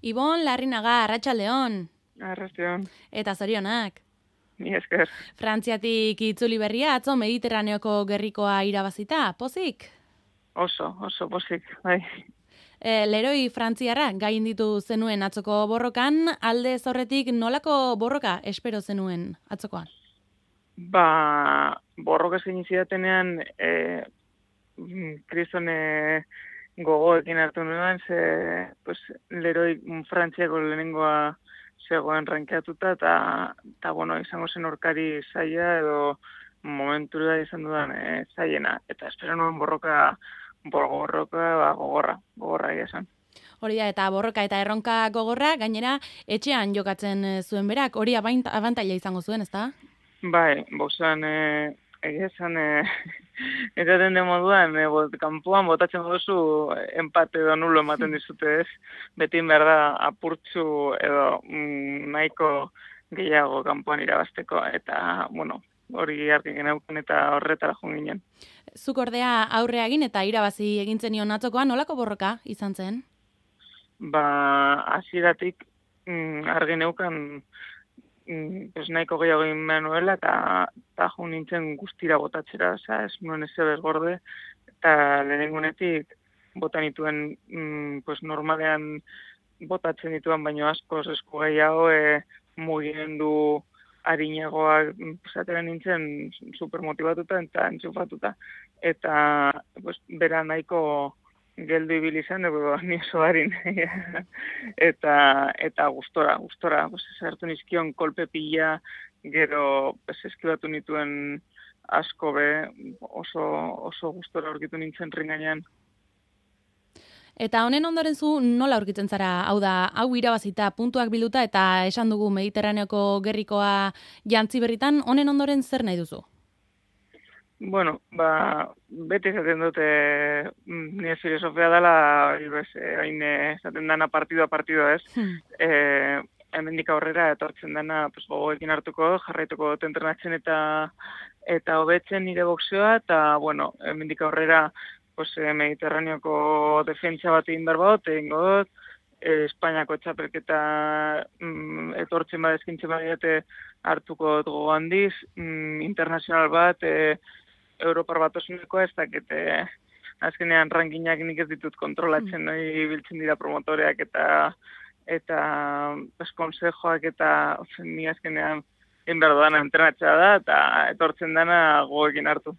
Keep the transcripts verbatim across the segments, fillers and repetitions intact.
Ibon Larrinaga, Arratsaldeon. Arratsaldeon. Eta zorionak. Ni esker. Frantziatik itzuli berria, atzo Mediterraneoko gerrikoa irabazita, pozik? Oso, oso pozik, bai. E, leroi frantziarra gain ditu zenuen atzoko borrokan, alde zorretik nolako borroka espero zenuen atzokoan? Ba, borroka zein zidatenean, e, kristone gogoekin hartu nuen, ze, pues, leroi Frantziako lehenengoa zegoen rankeatuta, eta, eta, bueno, izango zen orkari zaila, edo momentura izan dudan e, zailena. Eta espero nuen borroka, borroka, ba, gogorra, gogorra esan. Hori da, eta borroka eta erronka gogorra, gainera, etxean jokatzen zuen berak, hori abantaila izango zuen, ezta? Bai, bozan, e, egia esan, e, esaten den moduan, e, bot, kanpoan botatzen duzu empate edo nulo ematen dizute ez, beti behar da apurtzu edo mm, nahiko gehiago kanpoan irabazteko, eta, bueno, hori argi geneuken eta horretara joan ginen. Zuk ordea aurre egin eta irabazi egintzen nion atzokoan, nolako borroka izan zen? Ba, hasieratik mm, argi neukan mm, pues nahiko gehiago egin behar nuela, eta, eta jo nintzen guztira botatzera, oza, ez nuen ez ebez gorde, eta lehenengunetik bota nituen mm, pues normalean botatzen dituen, baino askoz esku gehiago e, mugimendu arinagoak zatera nintzen supermotibatuta eta entzufatuta. Eta pues, bera nahiko geldu ibili zen, ego ni oso harin. eta, eta gustora, gustora. Pues, hartu nizkion kolpe pila, gero pues, eskibatu nituen asko be, oso, oso gustora aurkitu nintzen ringainan. Eta honen ondoren zu nola aurkitzen zara? Hau da, hau irabazita puntuak bilduta eta esan dugu Mediterraneoko gerrikoa jantzi berritan, honen ondoren zer nahi duzu? Bueno, ba, beti esaten dute nire filosofia dela, hain esaten dana partidua partidua ez. Hmm. E, hemendik aurrera etortzen dana pues, gogoekin hartuko, jarraituko dut entrenatzen eta eta hobetzen nire boxeoa, eta bueno, hemendik aurrera pues, Mediterraneoko defentsa bat egin behar bat, egin dut, eh, Espainiako txapelketa mm, etortzen bat eskintzen bat hartuko dut gogo handiz, mm, internazional bat, eh, Europar bat osuneko ez dakit, eh, azkenean rankinak nik ez ditut kontrolatzen, mm. noi biltzen dira promotoreak eta eta pues, konsejoak eta ozen, ni azkenean egin behar dana entrenatzea da, eta etortzen dana gogoekin hartu.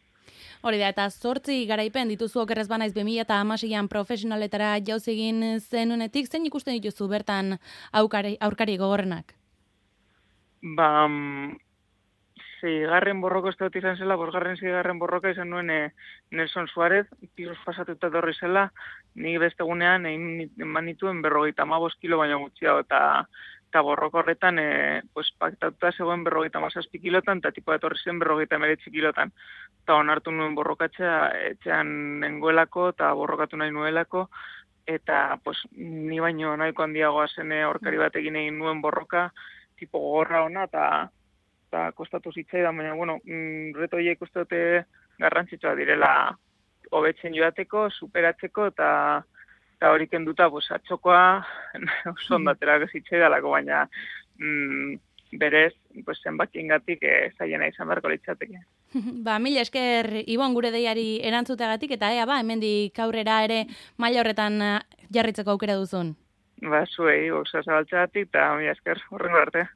Hori da, eta zortzi garaipen dituzu okerrez banaiz bi mila hamaseian profesionaletara jauzi egin zenuenetik, zein ikusten dituzu bertan aurkari, aurkari gogorrenak? Ba, zeigarren borroko ez dut izan zela, bosgarren zeigarren borroka izan nuen e, Nelson Suárez, pisos pasatuta dorri zela, nik beste gunean egin manituen berrogeita hamabost kilo baino gutxiago, eta eta borroko horretan, e, pues, paktatuta zegoen berrogeita hamazazpi kilotan, eta tipo etorri zen berrogeita hemeretzi kilotan. Eta onartu nuen borrokatzea, etxean nengoelako, eta borrokatu nahi nuelako, eta pues, ni baino nahiko handiagoa zen aurkari batekin egin nuen borroka, tipo gogorra ona, eta eta kostatu zitzaidan, baina, bueno, mm, reto horiek uste dute garrantzitsua direla hobetzen joateko, superatzeko, eta eta hori kenduta, pues, atxokoa oso ondatera zitzaidalako, baina mm, berez, pues, zenbakiengatik eh, zaiena izan beharko litzateke. Ba, mila esker, Ibon, gure deiari erantzuteagatik, eta ea, ba, hemendik aurrera ere maila horretan jarritzeko aukera duzun. Ba, zuei, boxa zabaltzeagatik, eta mila esker, horrengo arte.